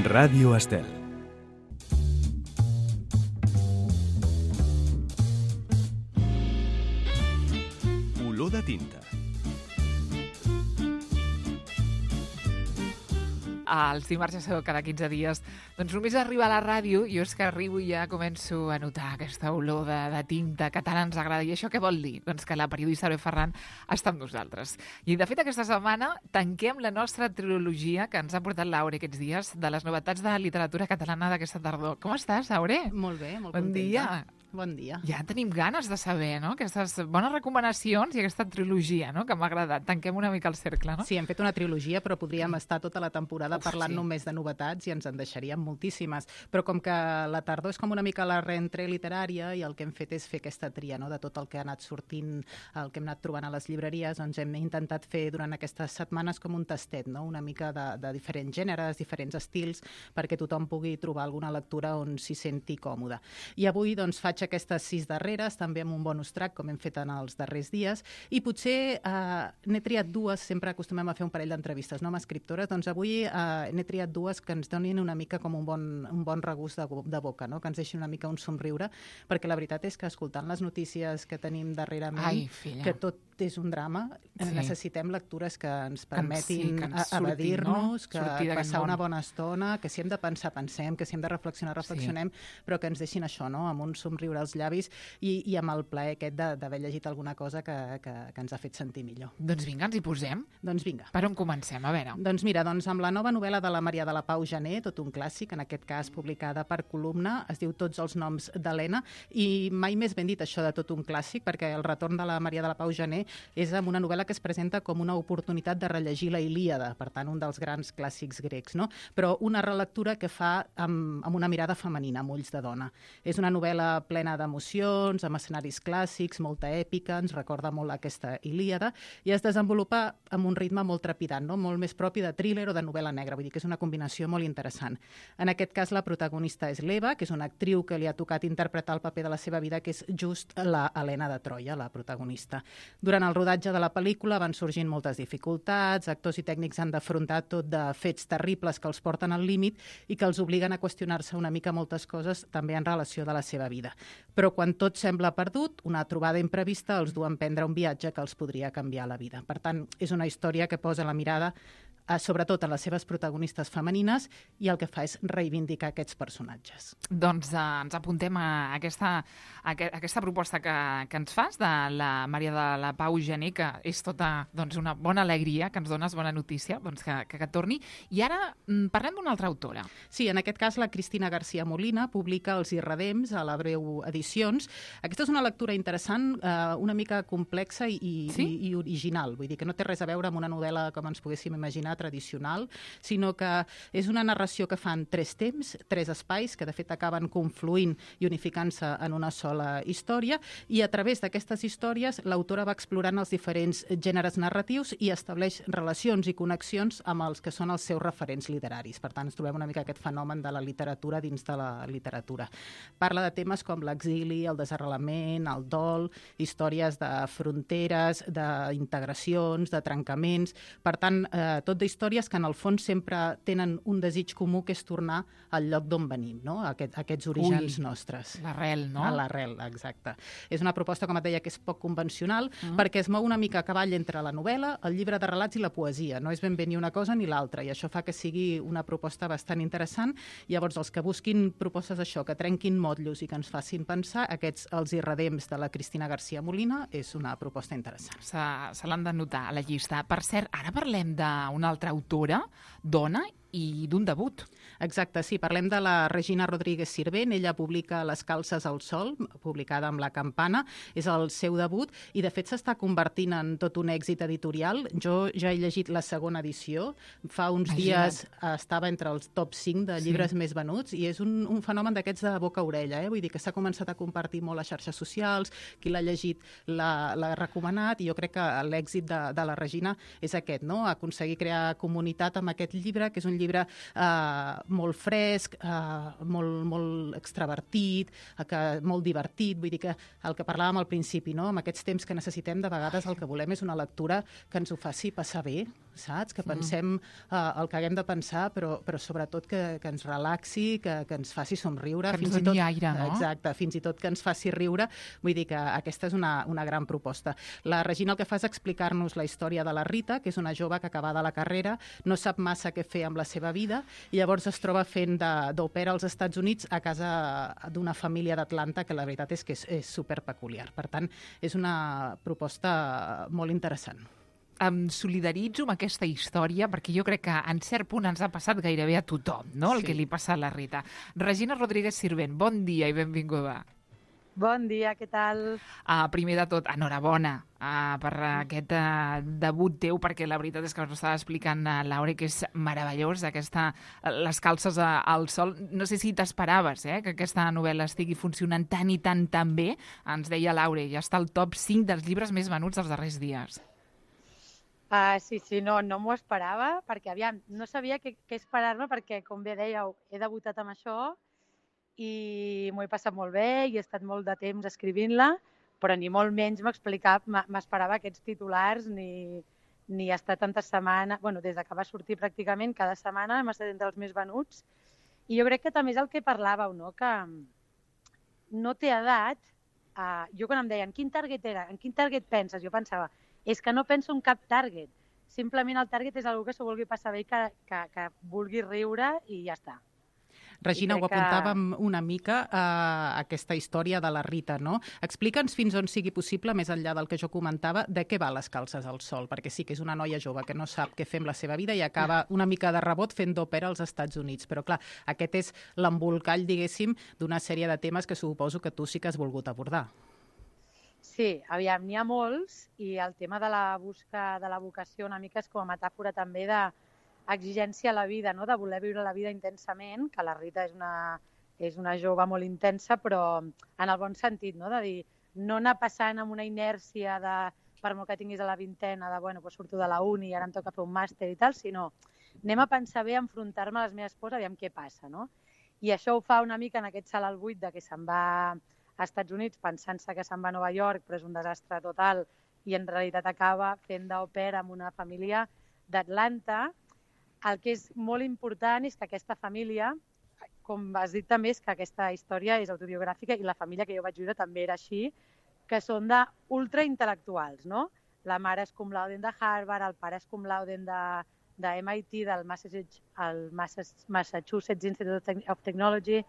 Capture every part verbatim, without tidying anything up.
Ràdio Estel. Olor de tinta. Els dimarts ja sabeu, cada quinze dies, doncs només arriba a la ràdio, jo és que arribo i ja començo a notar aquesta olor de, de tinta que tant ens agrada. I això què vol dir? Doncs que la periodista Aurè Ferran està amb nosaltres. I de fet aquesta setmana tanquem la nostra trilogia que ens ha portat l'Aurè aquests dies de les novetats de literatura catalana d'aquesta tardor. Com estàs, Aurè? Molt bé, molt bon contenta. Dia. Bon dia. Ja tenim ganes de saber, no?, aquestes bones recomanacions i aquesta trilogia, no?, que m'ha agradat. Tanquem una mica el cercle, no? Sí, hem fet una trilogia, però podríem estar tota la temporada Uf, parlant sí. només de novetats i ens en deixaríem moltíssimes. Però com que la tardor és com una mica la reentrée literària i el que hem fet és fer aquesta tria, no?, de tot el que ha anat sortint, el que hem anat trobant a les llibreries, doncs hem intentat fer durant aquestes setmanes com un tastet, no?, una mica de, de diferents gèneres, diferents estils, perquè tothom pugui trobar alguna lectura on s'hi senti còmode. I avui doncs faig aquestes sis darreres, també amb un bonus track, com hem fet en els darrers dies, i potser eh, n'he triat dues, sempre acostumem a fer un parell d'entrevistes, no?, amb escriptores, doncs avui eh, n'he triat dues que ens donin una mica com un bon, un bon regust de, de boca, no?, que ens deixin una mica un somriure, perquè la veritat és que escoltant les notícies que tenim darrerament, Ai, que tot és un drama, sí. necessitem lectures que ens permetin sí, que ens surtin, evadir-nos, no? que Sortir d'aquest passar món. una bona estona, que si hem de pensar, pensem, que si hem de reflexionar, reflexionem, sí. però que ens deixin això, no?, amb un somriure als llavis i, i amb el plaer aquest d'haver llegit alguna cosa que, que, que ens ha fet sentir millor. Doncs vinga, ens hi posem. Doncs vinga. Per on comencem? A veure. Doncs mira, doncs amb la nova novel·la de la Maria de la Pau Gené, tot un clàssic, en aquest cas publicada per Columna, es diu Tots els noms d'Helena, i mai més ben dit això de tot un clàssic, perquè el retorn de la Maria de la Pau Gené és amb una novel·la que es presenta com una oportunitat de rellegir la Ilíada, per tant, un dels grans clàssics grecs, no? Però una relectura que fa amb, amb una mirada femenina, amb ulls de dona. És una novel·la plena d'emocions, amb escenaris clàssics, molta èpica, ens recorda molt aquesta Ilíada, i es desenvolupa amb un ritme molt trepidant, no?, molt més propi de thriller o de novel·la negra, vull dir que és una combinació molt interessant. En aquest cas, la protagonista és l'Eva, que és una actriu que li ha tocat interpretar el paper de la seva vida, que és just la Helena de Troia, la protagonista. Durant el rodatge de la pel·lícula van sorgint moltes dificultats, actors i tècnics han d'afrontar tot de fets terribles que els porten al límit i que els obliguen a qüestionar-se una mica moltes coses també en relació de la seva vida. Però quan tot sembla perdut, una trobada imprevista els du a emprendre un viatge que els podria canviar la vida. Per tant, és una història que posa la mirada eh, sobretot a les seves protagonistes femenines i el que fa és reivindicar aquests personatges. Doncs eh, ens apuntem a aquesta, a aquesta proposta que, que ens fas de la Maria de la Pau Gené, que és tota doncs, una bona alegria, que ens dones bona notícia, doncs que, que, que torni. I ara mm, parlem d'una altra autora. Sí, en aquest cas la Cristina García Molina publica Els Irredems a la Breu Edicions. Aquesta és una lectura interessant, eh, una mica complexa i, sí? i, i original. Vull dir que no té res a veure amb una novel·la com ens poguéssim imaginar tradicional, sinó que és una narració que fan tres temps, tres espais, que de fet acaben confluint i unificant-se en una sola història, i a través d'aquestes històries l'autora va explorant els diferents gèneres narratius i estableix relacions i connexions amb els que són els seus referents literaris. Per tant, ens trobem una mica aquest fenomen de la literatura dins de la literatura. Parla de temes com l'exili, el desarrelament, el dol, històries de fronteres, d'integracions, de trencaments. Per tant, eh, tot d'històries que en el fons sempre tenen un desig comú, que és tornar al lloc d'on venim, no?, Aquest, aquests orígens Ui, nostres. L'arrel, no? A l'arrel, exacte. És una proposta, com et deia, que és poc convencional, Mm. perquè es mou una mica a cavall entre la novel·la, el llibre de relats i la poesia. No és ben bé ni una cosa ni l'altra, i això fa que sigui una proposta bastant interessant. Llavors, els que busquin propostes d'això, que trenquin motllos i que ens facin pensar, aquests Els Irredems de la Cristina García Molina és una proposta interessant. Se, se l'han d'anotar a la llista. Per cert, ara parlem d'una altra autora, dona, i d'un debut. Exacte, sí, parlem de la Regina Rodríguez Sirvent. Ella publica Les calces al sol, publicada amb La Campana, és el seu debut, i de fet s'està convertint en tot un èxit editorial. Jo ja he llegit la segona edició, fa uns Imagina't. dies estava entre els top cinc de llibres Sí. més venuts, i és un, un fenomen d'aquests de boca a orella, eh? Vull dir que s'ha començat a compartir molt a xarxes socials, qui l'ha llegit l'ha l'ha recomanat, i jo crec que l'èxit de, de la Regina és aquest, no?, aconseguir crear comunitat amb aquest llibre, que és un llibre llibre eh, molt fresc, eh, molt, molt extravertit, eh, que, molt divertit, vull dir que el que parlàvem al principi, no?, amb aquests temps que necessitem, de vegades el que volem és una lectura que ens ho faci passar bé, saps? Que pensem uh, el que haguem de pensar, però, però sobretot que, que ens relaxi, que, que ens faci somriure. Que ens fins i doni tot, aire, no? Exacte, fins i tot que ens faci riure. Vull dir que aquesta és una, una gran proposta. La Regina el que fa és explicar-nos la història de la Rita, que és una jove que acabada la carrera no sap massa què fer amb la seva vida i llavors es troba fent d'au pair als Estats Units a casa d'una família d'Atlanta que la veritat és que és, és superpeculiar. Per tant, és una proposta molt interessant. Em solidaritzo amb aquesta història perquè jo crec que en cert punt ens ha passat gairebé a tothom, no? El Sí. que li passa a la Rita. Regina Rodríguez Sirvent, bon dia i benvinguda. Bon dia, què tal? Uh, primer de tot, enhorabona uh, per aquest uh, debut teu, perquè la veritat és que ens estava explicant uh, Laura que és meravellós, aquesta, uh, les calces uh, al sol. No sé si t'esperaves eh, que aquesta novel·la estigui funcionant tan i tan tan bé. Ens deia Laura, ja està al top cinc dels llibres més venuts dels darrers dies. Uh, sí, sí, no, no m'ho esperava, perquè aviam, no sabia què, què esperar-me, perquè, com bé dèieu, he debutat amb això i m'ho he passat molt bé i he estat molt de temps escrivint-la, però ni molt menys m'esperava aquests titulars ni, ni estar tantes setmanes... Bueno, des que va sortir pràcticament cada setmana hem estat entre els més venuts i jo crec que també és el que parlàveu, no? Que no té edat. Uh, jo quan em deien quin target era, en quin target penses, jo pensava és que no penso en cap target. Simplement el target és algú que s'ho vulgui passar bé i que, que, que vulgui riure i ja està. Regina, ho que... apuntàvem una mica a aquesta història de la Rita, no? Explica'ns fins on sigui possible, més enllà del que jo comentava, de què va les calces al sol, perquè sí que és una noia jove que no sap què fer amb la seva vida i acaba una mica de rebot fent d'au pair als Estats Units. Però clar, aquest és l'embolcall, diguéssim, d'una sèrie de temes que suposo que tu sí que has volgut abordar. Sí, aviam, n'hi ha molts i el tema de la busca de la vocació una mica és com a metàfora també d'exigència a la vida, no? De voler viure la vida intensament, que la Rita és una, és una jove molt intensa, però en el bon sentit, no? De dir, no anar passant amb una inèrcia de, per molt que tinguis a la vintena, de bueno, pues surto de la uni i ara em toca fer un màster i tal, sinó anem a pensar bé, a enfrontar-me a les meves pors, aviam què passa, no? I això ho fa una mica en aquest salt al buit de que se'n va a Estats Units pensant-se que se'n va a Nova York, però és un desastre total i en realitat acaba fent d'au pair amb una família d'Atlanta. El que és molt important és que aquesta família, com has dit també, és que aquesta història és autobiogràfica i la família que jo vaig viure també era així, que són d'ultraintel·lectuals, no? La mare és cum laude de Harvard, el pare és cum laude de, de M I T, del Massachusetts, el Massachusetts Institute of Technology.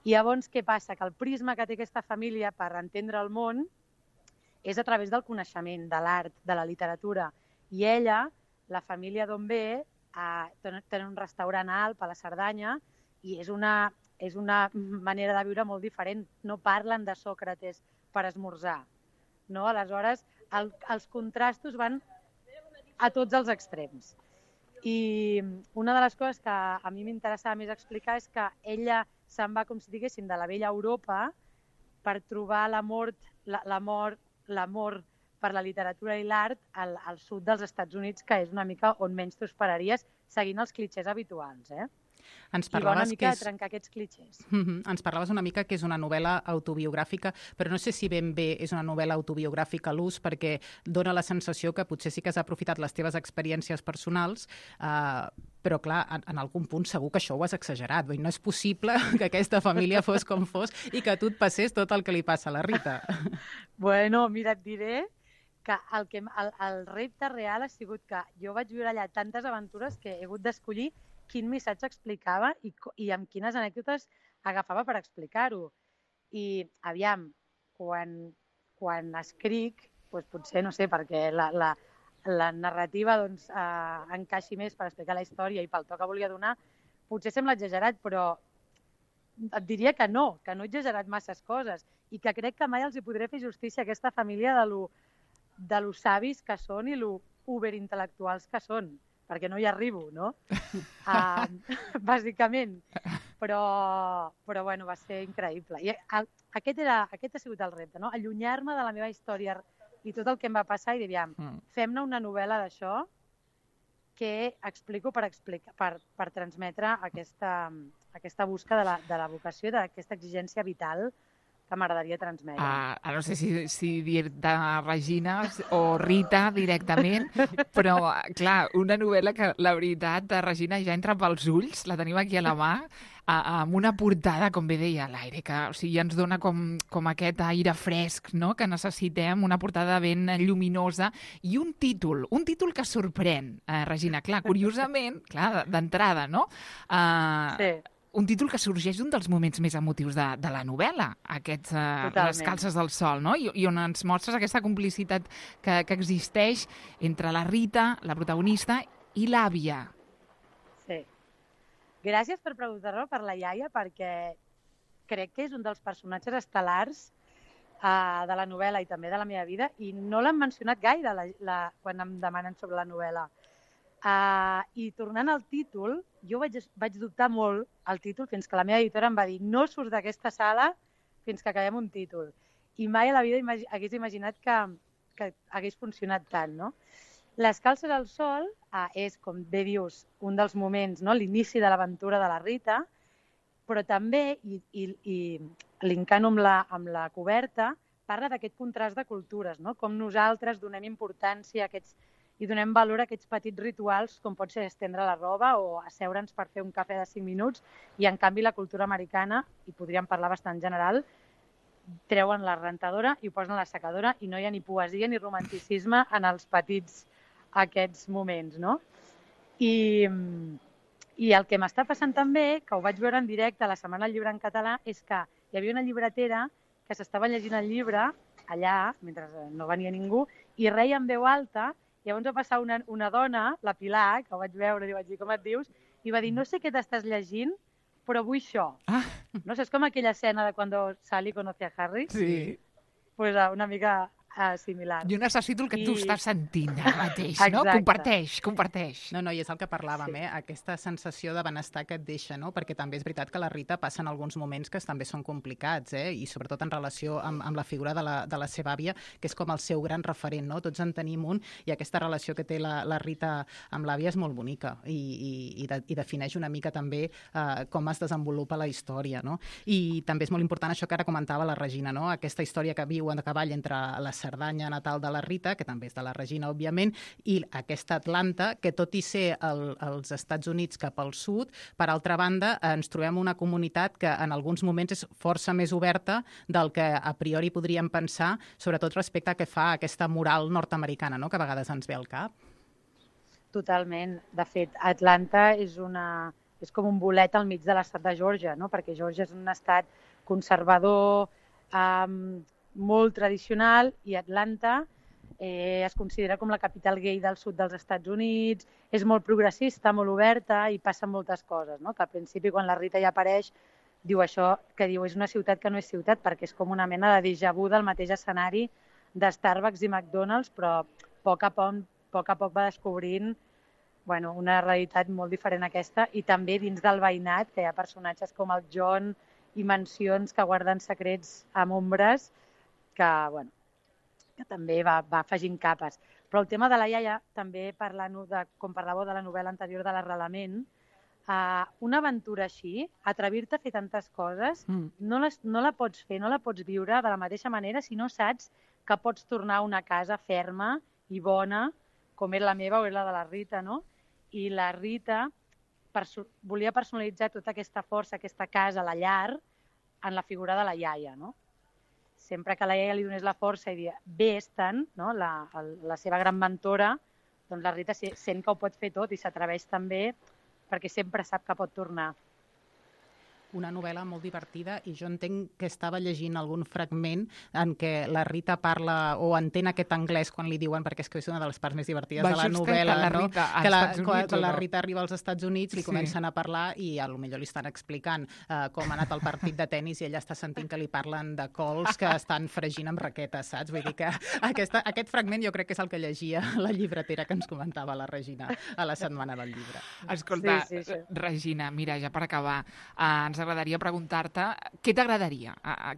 I llavors, què passa? Que el prisma que té aquesta família per entendre el món és a través del coneixement, de l'art, de la literatura. I ella, la família d'on ve, eh, té un restaurant a Alp, a la Cerdanya, i és una, és una manera de viure molt diferent. No parlen de Sòcrates per esmorzar. No? Aleshores, el, els contrastos van a tots els extrems. I una de les coses que a mi m'interessava més explicar és que ella se'n va, com si diguéssim, de la vella Europa per trobar l'amor l'amor l'amor per la literatura i l'art al, al sud dels Estats Units, que és una mica on menys t'ho esperaries, seguint els clitxers habituals, eh? Ens I va una parlaves mica que és... és... trencar aquests clitxers. Mm-hmm. Ens parlaves una mica que és una novel·la autobiogràfica, però no sé si ben bé és una novel·la autobiogràfica a l'ús, perquè dona la sensació que potser sí que has aprofitat les teves experiències personals, eh, però clar, en, en algun punt segur que això ho has exagerat. Vull dir, no és possible que aquesta família fos com fos i que a tu et passés tot el que li passa a la Rita. Bueno, mira, et diré que el, que el, el repte real ha sigut que jo vaig viure allà tantes aventures que he hagut d'escollir quin missatge explicava i, i amb quines anècdotes agafava per explicar-ho. I, aviam, quan, quan escric, doncs potser, no sé, perquè la, la, la narrativa doncs, eh, encaixi més per explicar la història i pel to que volia donar, potser sembla exagerat, però et diria que no, que no he exagerat masses coses i que crec que mai els hi podré fer justícia a aquesta família de lo, de lo savis que són i lo uberintel·lectuals que són, perquè no hi arribo, no? Uh, bàsicament. Però, però bueno, va ser increïble. I el, aquest, era, aquest ha sigut el repte, no? Allunyar-me de la meva història i tot el que em va passar i dir, aviam, mm. fem-ne una novel·la d'això que explico per, explicar, per, per transmetre aquesta, aquesta busca de la, de la vocació, d'aquesta exigència vital que m'agradaria transmetre. Uh, no sé si, si dir-te Regina o Rita directament, però, clar, una novel·la que, la veritat, Regina, ja entra pels ulls, la tenim aquí a la mà, uh, amb una portada, com bé deia l'aire, que o sigui, ens dona com, com aquest aire fresc, no?, que necessitem, una portada ben lluminosa, i un títol, un títol que sorprèn, uh, Regina. Clar, curiosament, clar, d'entrada, no? Uh, sí. Un títol que sorgeix d'un dels moments més emotius de, de la novel·la, aquests, uh, Les calces del sol, no? I, i on ens mostres aquesta complicitat que, que existeix entre la Rita, la protagonista, i l'àvia. Sí. Gràcies per preguntar-me per la iaia, perquè crec que és un dels personatges estel·lars uh, de la novel·la i també de la meva vida, i no l'han mencionat gaire la, la, quan em demanen sobre la novel·la. Uh, I tornant al títol, jo vaig, vaig dubtar molt al títol fins que la meva editora em va dir no surts d'aquesta sala fins que acabem un títol. I mai a la vida imagi hagués imaginat que, que hagués funcionat tant, no? Les calces al sol uh, és, com bé dius, un dels moments, no? L'inici de l'aventura de la Rita, però també, i, i, i linkant amb la, amb la coberta, parla d'aquest contrast de cultures, no? Com nosaltres donem importància a aquests i donem valor a aquests petits rituals, com pot ser estendre la roba o asseure'ns per fer un cafè de cinc minuts, i en canvi la cultura americana, i podríem parlar bastant general, treuen la rentadora i ho posen a la secadora i no hi ha ni poesia ni romanticisme en els petits aquests moments, no? I, i el que m'està passant també, que ho vaig veure en directe a la Setmana del Llibre en català, és que hi havia una llibretera que s'estava llegint el llibre allà, mentre no venia ningú, i reia en veu alta. Llavors va passar una, una dona, la Pilar, que ho vaig veure i vaig dir com et dius, i va dir no sé què t'estàs llegint, però vull això. Ah. No sé, és com aquella escena de quan Sally conoce a Harry. Sí. Pues una mica uh, similar. Jo necessito el que I... tu estàs sentint ara mateix, Exacte. no? Comparteix, comparteix. No, no, i és el que parlàvem, sí. eh? Aquesta sensació de benestar que et deixa, no? Perquè també és veritat que la Rita passa en alguns moments que també són complicats, eh? I sobretot en relació amb, amb la figura de la, de la seva àvia, que és com el seu gran referent, no? Tots en tenim un, i aquesta relació que té la, la Rita amb l'àvia és molt bonica i, i, i, de, i defineix una mica també eh, com es desenvolupa la història, no? I també és molt important això que ara comentava la Regina, no? Aquesta història que viu a cavall entre la Cerdanya natal de la Rita, que també és de la Regina, òbviament, i aquesta Atlanta, que tot i ser el, els Estats Units cap al sud, per altra banda, ens trobem una comunitat que en alguns moments és força més oberta del que a priori podríem pensar, sobretot respecte a què fa aquesta moral nord-americana, no?, que a vegades ens ve al cap. Totalment. De fet, Atlanta és, una, és com un bolet al mig de l'estat de Geòrgia, no?, perquè Geòrgia és un estat conservador, um, molt tradicional, i Atlanta eh, es considera com la capital gay del sud dels Estats Units, és molt progressista, molt oberta i passen moltes coses, no? Que al principi quan la Rita ja apareix diu això, que diu és una ciutat que no és ciutat perquè és com una mena de déjà vu del mateix escenari de Starbucks i McDonald's, però a poc a poc, poc, a poc va descobrint bueno, una realitat molt diferent a aquesta, i també dins del veïnat, que hi ha personatges com el John i mansions que guarden secrets amb ombres, que, bueno, que també va, va afegint capes. Però el tema de la iaia, també parlant de, com parlàveu de la novel·la anterior de l'Arrelament, uh, una aventura així, atrevir-te a fer tantes coses, mm. no, les, no la pots fer, no la pots viure de la mateixa manera si no saps que pots tornar a una casa ferma i bona, com és la meva o és la de la Rita, no? I la Rita perso volia personalitzar tota aquesta força, aquesta casa, la llar, en la figura de la iaia, no? Sempre que la iaia li donés la força i dir vés-te'n, no? la, la seva gran mentora, doncs la Rita sent que ho pot fer tot i s'atreveix també perquè sempre sap que pot tornar. Una novel·la molt divertida, i jo entenc que estava llegint algun fragment en què la Rita parla o entén aquest anglès quan li diuen, perquè és que és una de les parts més divertides Va, de la novel·la, la no? Rita, que la, Units, quan, quan la no? Rita arriba als Estats Units li Sí. comencen a parlar i a lo millor li estan explicant uh, com ha anat el partit de tennis i ella està sentint que li parlen de cols que estan fregint amb raquetes, saps? Vull dir que aquesta, aquest fragment jo crec que és el que llegia la llibretera que ens comentava la Regina a la Setmana del Llibre. Escolta, sí, sí, sí. Regina, mira, ja per acabar, eh, ens agradaria preguntar què t'agradaria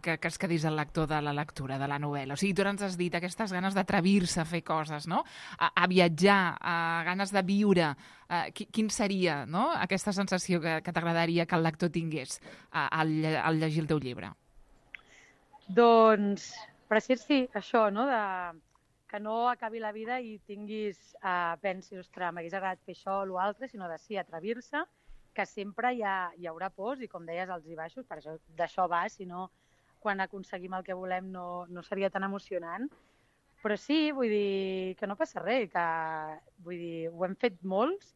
que, que es quedés el lector de la lectura de la novel·la? O sigui, tu ens has dit aquestes ganes d'atrevir-se a fer coses, no? A, a viatjar, a ganes de viure. A, quin seria, no?, aquesta sensació que, que t'agradaria que el lector tingués al, al llegir el teu llibre? Doncs, per ser sí, això, no? De, que no acabi la vida i tinguis, eh, pensis, ostres, m'hagués agradat fer això o l'altre, sinó de sí, atrevir-se, que sempre hi, ha, hi haurà pors i, com deies, alts i baixos, per això d'això va, si no, quan aconseguim el que volem no, no seria tan emocionant. Però sí, vull dir que no passa res, que vull dir, ho hem fet molts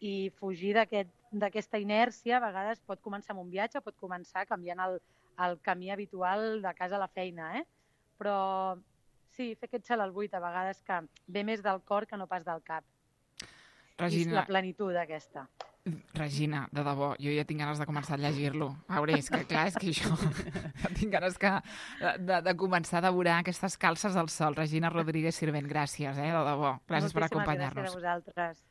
i fugir d'aquesta inèrcia a vegades pot començar amb un viatge, pot començar canviant el, el camí habitual de casa a la feina, eh? Però sí, fer aquest cel al buit a vegades que ve més del cor que no pas del cap. Regina... I la plenitud aquesta. Regina, de debò, jo ja tinc ganes de començar a llegir-lo. A veure, és que clar, és que jo tinc ganes que, de, de començar a devorar aquestes calces al sol. Regina Rodríguez Sirvent, gràcies, eh, de debò. Gràcies per acompanyar-nos. Moltíssimes gràcies a vosaltres.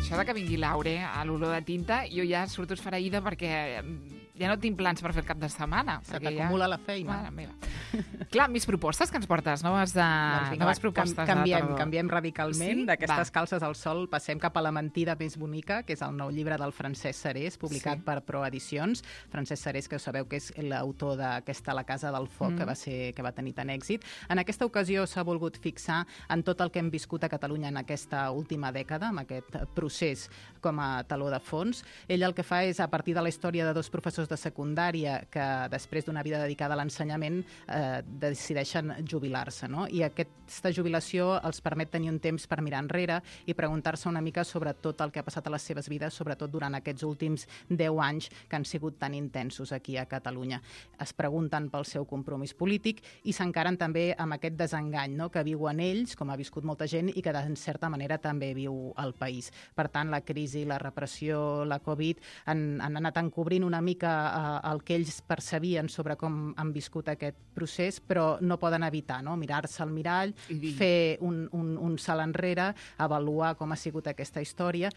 Això de que vingui l'Aure a l'olor de tinta, jo ja surto esfereïda perquè ja no tinc plans per fer el cap de setmana. Se t'acumula ja... la feina. Mare meva. Clar, mis propostes que ens portes, noves, de... doncs vinga, noves va, propostes cam canviem, de tardor. Canviem radicalment. Sí? D'aquestes Va. calces al sol passem cap a La mentida més bonica, que és el nou llibre del Francesc Serés, publicat Sí. per Proedicions. Francesc Serés, que sabeu que és l'autor d'aquesta La casa del foc, Mm. que va ser que va tenir tant èxit. En aquesta ocasió s'ha volgut fixar en tot el que hem viscut a Catalunya en aquesta última dècada, amb aquest procés com a taló de fons. Ell el que fa és, a partir de la història de dos professors de secundària que després d'una vida dedicada a l'ensenyament eh, decideixen jubilar-se, no? I aquesta jubilació els permet tenir un temps per mirar enrere i preguntar-se una mica sobre tot el que ha passat a les seves vides, sobretot durant aquests últims deu anys que han sigut tan intensos aquí a Catalunya. Es pregunten pel seu compromís polític i s'encaren també amb aquest desengany, no?, que viuen ells, com ha viscut molta gent, i que en certa manera també viu el país. Per tant, la crisi, la repressió, la Covid han, han anat encobrint una mica eh, el que ells percebien sobre com han viscut aquest procés, però no poden evitar, no?, mirar-se al mirall, fer un, un, un salt enrere, avaluar com ha sigut aquesta història.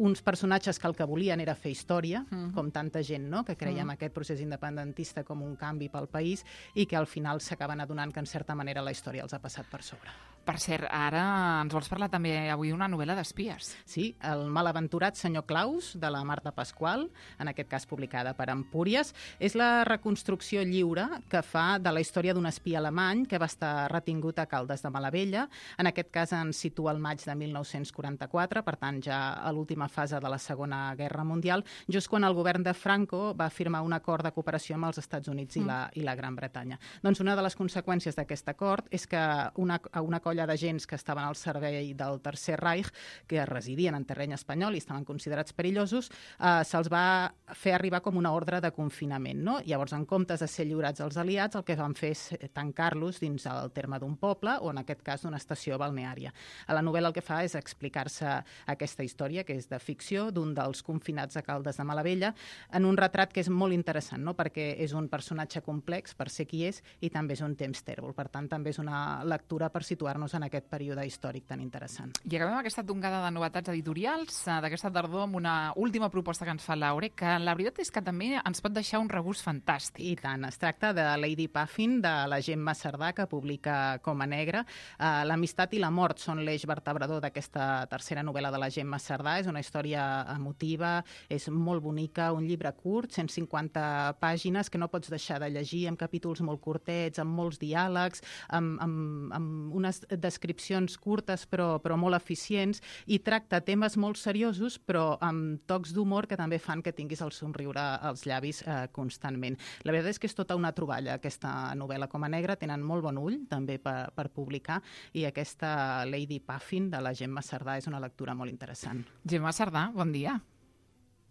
Uns personatges que el que volien era fer història, mm. com tanta gent, no?, que creiem mm. aquest procés independentista com un canvi pel país i que al final s'acaben adonant que en certa manera la història els ha passat per sobre. Per cert, ara ens vols parlar també avui d'una novel·la d'espies. Sí, El malaventurat senyor Claus, de la Marta Pasqual, en aquest cas publicada per Empúries. És la reconstrucció lliure que fa de la història d'un espia alemany que va estar retingut a Caldes de Malavella. En aquest cas ens situa al maig de mil nou-cents quaranta-quatre, per tant ja a l'última fase de la Segona Guerra Mundial, just quan el govern de Franco va firmar un acord de cooperació amb els Estats Units i la, i la Gran Bretanya. Doncs una de les conseqüències d'aquest acord és que una, una colla d'agents que estaven al servei del Tercer Reich, que residien en terreny espanyol i estaven considerats perillosos, eh, se'ls va fer arribar com una ordre de confinament, no? Llavors, en comptes de ser lliurats als aliats, el que van fer és tancar-los dins el terme d'un poble o, en aquest cas, d'una estació balneària. A la novel·la el que fa és explicar-se aquesta història, que és de ficció, d'un dels confinats a Caldes de Malavella, en un retrat que és molt interessant, no?, perquè és un personatge complex per ser qui és i també és un temps tèrbol. Per tant, també és una lectura per situar-nos en aquest període històric tan interessant. I acabem aquesta tongada de novetats editorials d'aquesta tardor amb una última proposta que ens fa l'Aure, que la veritat és que també ens pot deixar un regust fantàstic. I tant. Es tracta de Lady Puffin, de la Gemma Cerdà, que publica Coma Negra. Uh, L'amistat i la mort són l'eix vertebrador d'aquesta tercera novel·la de la Gemma Cerdà. És una història emotiva, és molt bonica, un llibre curt, cent cinquanta pàgines, que no pots deixar de llegir, amb capítols molt curtets, amb molts diàlegs, amb, amb, amb unes descripcions curtes però, però molt eficients, i tracta temes molt seriosos però amb tocs d'humor que també fan que tinguis el somriure als llavis eh, constantment. La veritat és que és tota una troballa aquesta novel·la Coma Negra, tenen molt bon ull també per, per publicar, i aquesta Lady Puffin de la Gemma Cerdà és una lectura molt interessant. Gemma Cerdà, bon dia.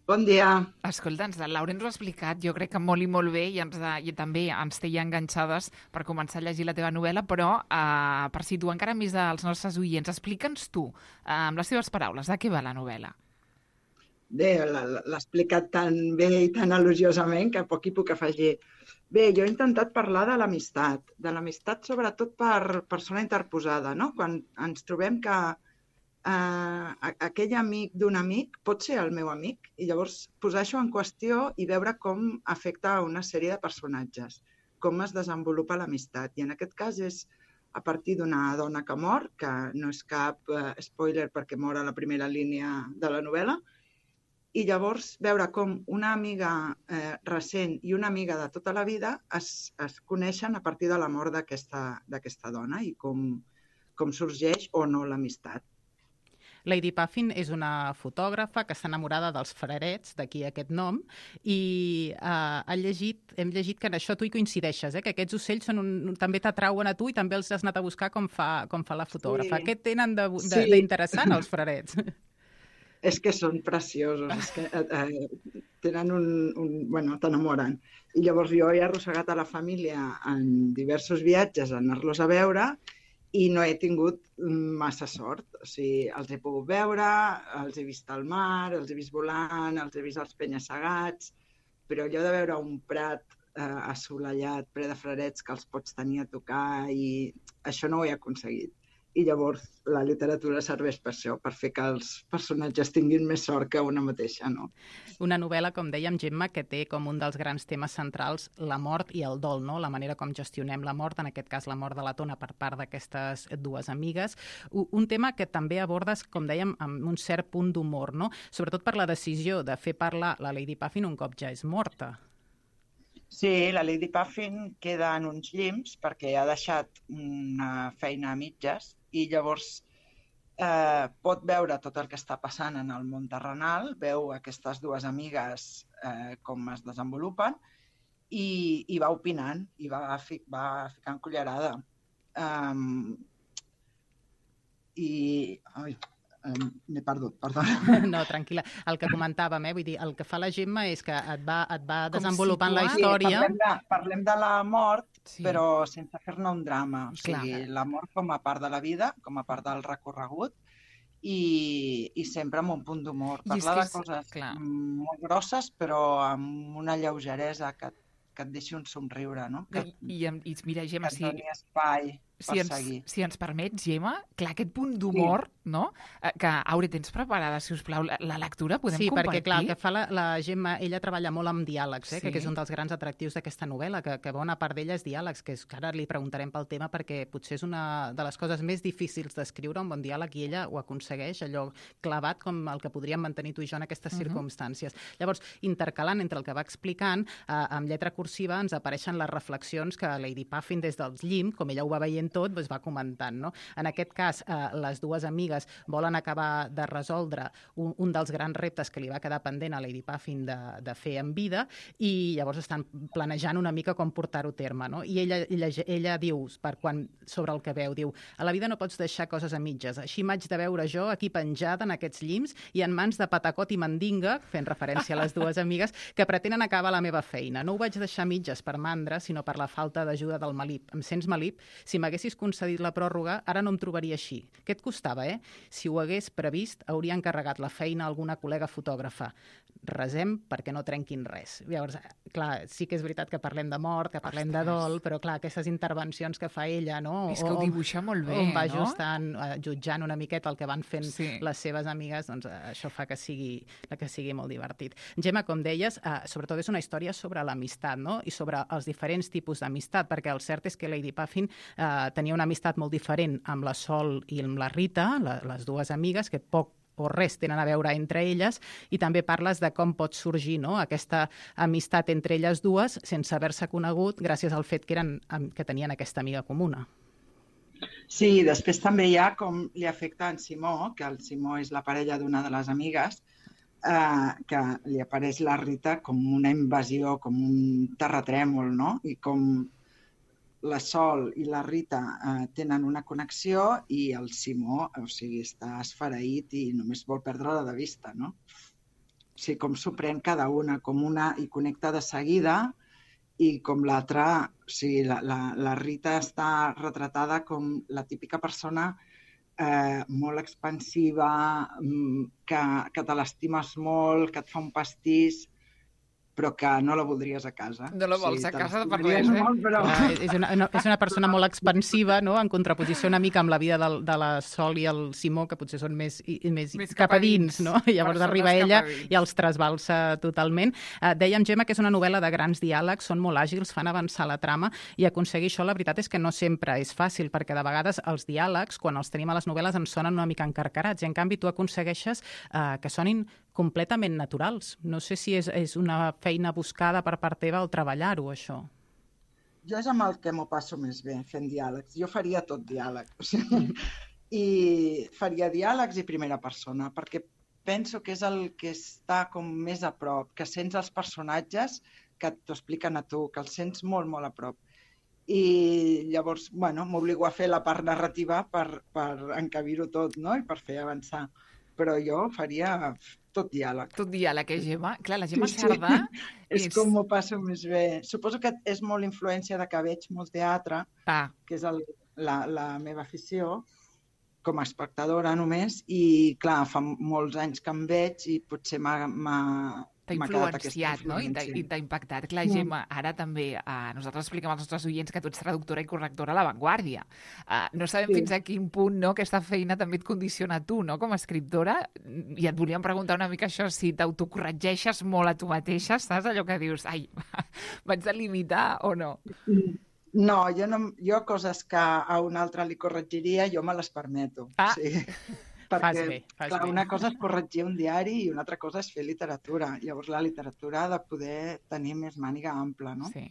Bon dia. Escolta'ns, la Laura ens ho ha explicat, jo crec que molt i molt bé, i, ens ha, i també ens té ja enganxades per començar a llegir la teva novel·la, però eh, per situar encara més als nostres oients, explica'ns tu, eh, amb les teves paraules, de què va la novel·la? Bé, l'ha explicat tan bé i tan elogiosament que poc hi puc afegir. Bé, jo he intentat parlar de l'amistat, de l'amistat sobretot per persona interposada, no? Quan ens trobem que Uh, aquell amic d'un amic pot ser el meu amic, i llavors posar això en qüestió i veure com afecta a una sèrie de personatges, com es desenvolupa l'amistat. I en aquest cas és a partir d'una dona que mor, que no és cap eh, spoiler perquè mor a la primera línia de la novel·la, i llavors veure com una amiga eh, recent i una amiga de tota la vida es, es coneixen a partir de la mort d'aquesta dona i com, com sorgeix o no l'amistat. Lady Puffin és una fotògrafa que està enamorada dels frarets, d'aquí aquest nom, i eh, ha llegit, hem llegit que en això tu hi coincideixes, eh? Que aquests ocells són un, també t'atrauen a tu i també els has anat a buscar com fa, com fa la fotògrafa. Sí. Què tenen d'interessant sí. els frarets? És que són preciosos, és que eh, tenen un... un bueno, t'enamoren. I llavors jo he arrossegat a la família en diversos viatges a anar-los a veure i no he tingut massa sort. O sigui, els he pogut veure, els he vist al mar, els he vist volant, els he vist als penya-segats, però allò de veure un prat eh, assolellat, ple de frarets que els pots tenir a tocar, i això no ho he aconseguit. I llavors la literatura serveix per això, per fer que els personatges tinguin més sort que una mateixa, no? Una novel·la, com dèiem, Gemma, que té com un dels grans temes centrals la mort i el dol, no? La manera com gestionem la mort, en aquest cas la mort de la Tona per part d'aquestes dues amigues. Un tema que també abordes, com dèiem, amb un cert punt d'humor, no? Sobretot per la decisió de fer parlar la Lady Puffin un cop ja és morta. Sí, la Lady Puffin queda en uns llims perquè ha deixat una feina a mitges i llavors eh, pot veure tot el que està passant en el món terrenal, veu aquestes dues amigues eh, com es desenvolupen i, i va opinant i va, fi, va ficant cullerada. Um, I... Ai, m'he perdut, perdona. No, tranquil·la. El que comentàvem, eh? Vull dir, el que fa la Gemma és que et va, et va desenvolupant la història. Sí, parlem, de, parlem de la mort, sí. Però sense fer-ne un drama. O sigui, clar. La mort com a part de la vida, com a part del recorregut, i, i sempre amb un punt d'humor. Parlar de coses clar. molt grosses, però amb una lleugeresa que, que et deixi un somriure, no? Que, I, i, i mira, Gemma, que et doni espai per si ens, seguir. Si ens permets, Gemma, clar, aquest punt d'humor, sí. no? Que, Aure, tens preparada, si us plau, la, la lectura? Podem sí, compartir? Sí, perquè, clar, el que fa la, la Gemma, ella treballa molt amb diàlegs, eh, sí. que és un dels grans atractius d'aquesta novel·la, que, que bona part d'ella és diàlegs, que, és, que ara li preguntarem pel tema, perquè potser és una de les coses més difícils d'escriure, un bon diàleg, i ella ho aconsegueix, allò clavat com el que podríem mantenir tu i jo en aquestes uh-huh. circumstàncies. Llavors, intercalant entre el que va explicant, eh, amb lletra cursiva ens apareixen les reflexions que Lady Puffin, des dels llims, com ella ho va veient tot, doncs va comentant. No? En aquest cas, eh, les dues amigues volen acabar de resoldre un, un dels grans reptes que li va quedar pendent a Lady Puffin de, de fer en vida, i llavors estan planejant una mica com portar-ho a terme. No? I ella, ella, ella diu, per quan, sobre el que veu, diu, a la vida no pots deixar coses a mitges. Així m'haig de veure jo aquí penjada en aquests llims i en mans de patacot i mandinga, fent referència a les dues amigues, que pretenen acabar la meva feina. No ho vaig deixar a mitges per mandra, sinó per la falta d'ajuda del Malip. Em sents, Malip? Si m'haguessis concedit la pròrroga, ara no em trobaria així. Què et costava, eh? Si ho hagués previst, hauria encarregat la feina a alguna col·lega fotògrafa. Resem perquè no trenquin res. Llavors, clar, sí que és veritat que parlem de mort, que parlem Ostres. de dol, però clar, aquestes intervencions que fa ella, no? És que ho dibuixa molt bé, on va no? Ajustant, uh, jutjant una miqueta el que van fent sí. les seves amigues, doncs uh, això fa que sigui, que sigui molt divertit. Gemma, com deies, uh, sobretot és una història sobre l'amistat, no? I sobre els diferents tipus d'amistat, perquè el cert és que Lady Puffin uh, tenia una amistat molt diferent amb la Sol i amb la Rita, la, les dues amigues, que poc o res tenen a veure entre elles, i també parles de com pot sorgir, no?, aquesta amistat entre elles dues sense haver-se conegut gràcies al fet que, eren, que tenien aquesta amiga comuna. Sí, després també hi ha com li afecta en Simó, que el Simó és la parella d'una de les amigues, eh, que li apareix la Rita com una invasió, com un terratrèmol, no? I com la Sol i la Rita eh, tenen una connexió i el Simó, o sigui, està esfereït i només vol perdre-la de vista, no? O sigui, com s'ho pren cada una, com una i connecta de seguida i com l'altra, o sigui, la, la, la Rita està retratada com la típica persona eh, molt expansiva, que, que te l'estimes molt, que et fa un pastís, però que no la voldries a casa. No la vols Sí, a te la casa per estimaries res, eh? molt, però... Ah, és, una, una, és una persona molt expansiva, no?, en contraposició una mica amb la vida de, de la Sol i el Simó, que potser són més, i, més, Més cap a cap a dins, dins. no? I llavors Persones arriba cap ella a dins. i els trasbalsa totalment. Uh, dèiem, Gemma, que és una novel·la de grans diàlegs, són molt àgils, fan avançar la trama, i aconseguir això, la veritat és que no sempre és fàcil, perquè de vegades els diàlegs, quan els tenim a les novel·les, ens sonen una mica encarcarats, i en canvi tu aconsegueixes uh, que sonin completament naturals. No sé si és, és una feina buscada per part teva o treballar-ho, això. Jo és amb el que m'ho passo més bé, fent diàlegs. Jo faria tot diàleg. O sigui, i faria diàlegs i primera persona, perquè penso que és el que està com més a prop, que sents els personatges que t'ho expliquen a tu, que els sents molt, molt a prop. I llavors, bueno, m'obligo a fer la part narrativa per, per encabir-ho tot, no?, i per fer avançar. Però jo faria tot diàleg. Tot diàleg, eh, Gemma? Clar, la Gemma Sí, sí. Sardà... És com m'ho passo més bé. Suposo que és molt influència de que veig molt teatre, Ah, que és el, la, la meva afició, com a espectadora només, i clar, fa molts anys que em veig i potser m'ha t'ha m'ha quedat aquesta influenciat, no? I t'ha influència. i t'ha impactat. Clar, Mm. Gemma, ara també eh, nosaltres expliquem als nostres oients que tu ets traductora i correctora a La Vanguardia. Eh, no sabem Sí. fins a quin punt, no, aquesta feina també et condiciona a tu, no?, com a escriptora. I et volíem preguntar una mica això, si t'autocorregeixes molt a tu mateixa, saps? Allò que dius, ai, vaig de limitar o no? No, jo, no, jo coses que a un altre li corregiria, jo me les permeto. Ah. Sí. Fas Perquè, bé, fas clar, bé. una cosa és corregir un diari i una altra cosa és fer literatura. Llavors la literatura ha de poder tenir més màniga ampla, no? Sí.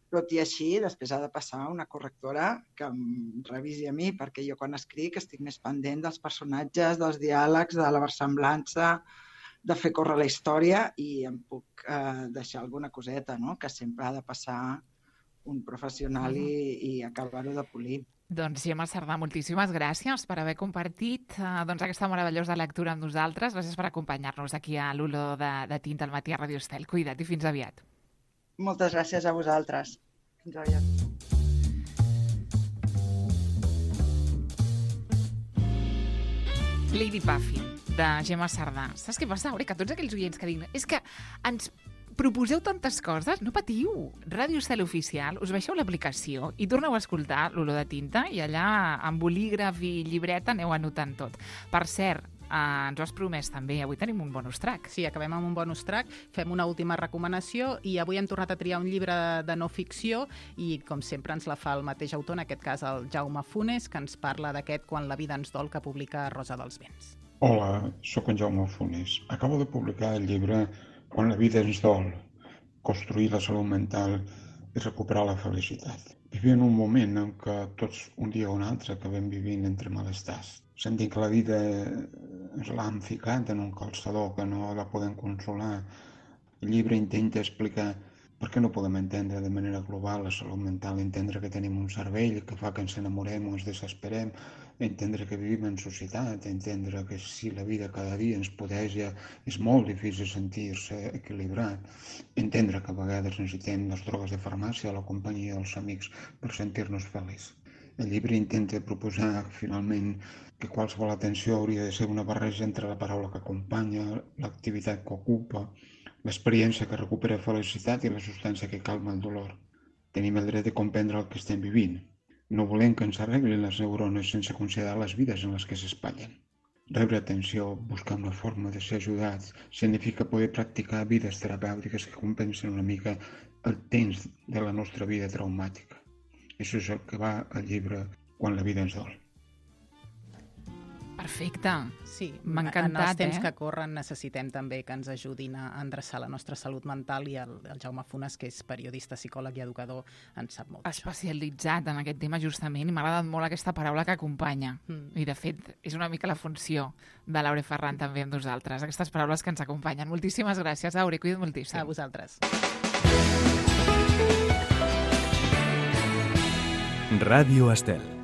Tot i així, després ha de passar una correctora que em revisi a mi, perquè jo quan escric estic més pendent dels personatges, dels diàlegs, de la versemblança, de fer córrer la història, i em puc eh, deixar alguna coseta, no?, que sempre ha de passar un professional i, i acabar-ho de polir. Doncs Gemma Sardà, moltíssimes gràcies per haver compartit eh, doncs, aquesta meravellosa lectura amb nosaltres. Gràcies per acompanyar-nos aquí a l'Olor de, de Tinta al matí a Radio Estel. Cuida't i fins aviat. Moltes gràcies a vosaltres. Fins aviat. Lady Puffin, de Gemma Sardà. Saps què passa, Aure? Que tots aquells oients que diuen és que ens proposeu tantes coses, no patiu. Ràdio Estel Oficial, us baixeu l'aplicació i torneu a escoltar l'Olor de Tinta i allà amb bolígraf i llibreta aneu anotant tot. Per cert, eh, ens ho has promès també, avui tenim un bonus track. Sí, acabem amb un bonus track, fem una última recomanació i avui hem tornat a triar un llibre de no ficció i, com sempre, ens la fa el mateix autor, en aquest cas el Jaume Funes, que ens parla d'aquest Quan la vida ens dol, que publica Rosa dels Vents. Hola, sóc en Jaume Funes. Acabo de publicar el llibre Quan la vida ens dol, construir la salut mental i recuperar la felicitat. Vivim en un moment en què tots, un dia o un altre, acabem vivint entre malestars. Sentim que la vida ens l'han ficat en un calçador, que no la podem consolar. El llibre intenta explicar per què no podem entendre de manera global la salut mental, entendre que tenim un cervell que fa que ens enamorem o ens desesperem, entendre que vivim en societat, entendre que si la vida cada dia ens podeja és molt difícil sentir-se equilibrat, entendre que a vegades necessitem les drogues de farmàcia o la companyia dels amics per sentir-nos feliços. El llibre intenta proposar, finalment, que qualsevol atenció hauria de ser una barreja entre la paraula que acompanya, l'activitat que ocupa, l'experiència que recupera felicitat i la substància que calma el dolor. Tenim el dret de comprendre el que estem vivint. No volem que ens arreglin les neurones sense considerar les vides en les que s'espatllen. Rebre atenció, buscar una forma de ser ajudats, significa poder practicar vides terapèutiques que compensen una mica el temps de la nostra vida traumàtica. Això és el que va al llibre Quan la vida ens dol. Perfecte. Sí, M'ha en encantat, els temps eh? que corren necessitem també que ens ajudin a endreçar la nostra salut mental i el, el Jaume Funes, que és periodista, psicòleg i educador, en sap molt d'això. Especialitzat en aquest tema justament i m'ha agradat molt aquesta paraula que acompanya. Mm. I de fet és una mica la funció de l'Aure Ferran també amb nosaltres, aquestes paraules que ens acompanyen. Moltíssimes gràcies, Aure, cuida't moltíssim. A vosaltres. Ràdio Estel.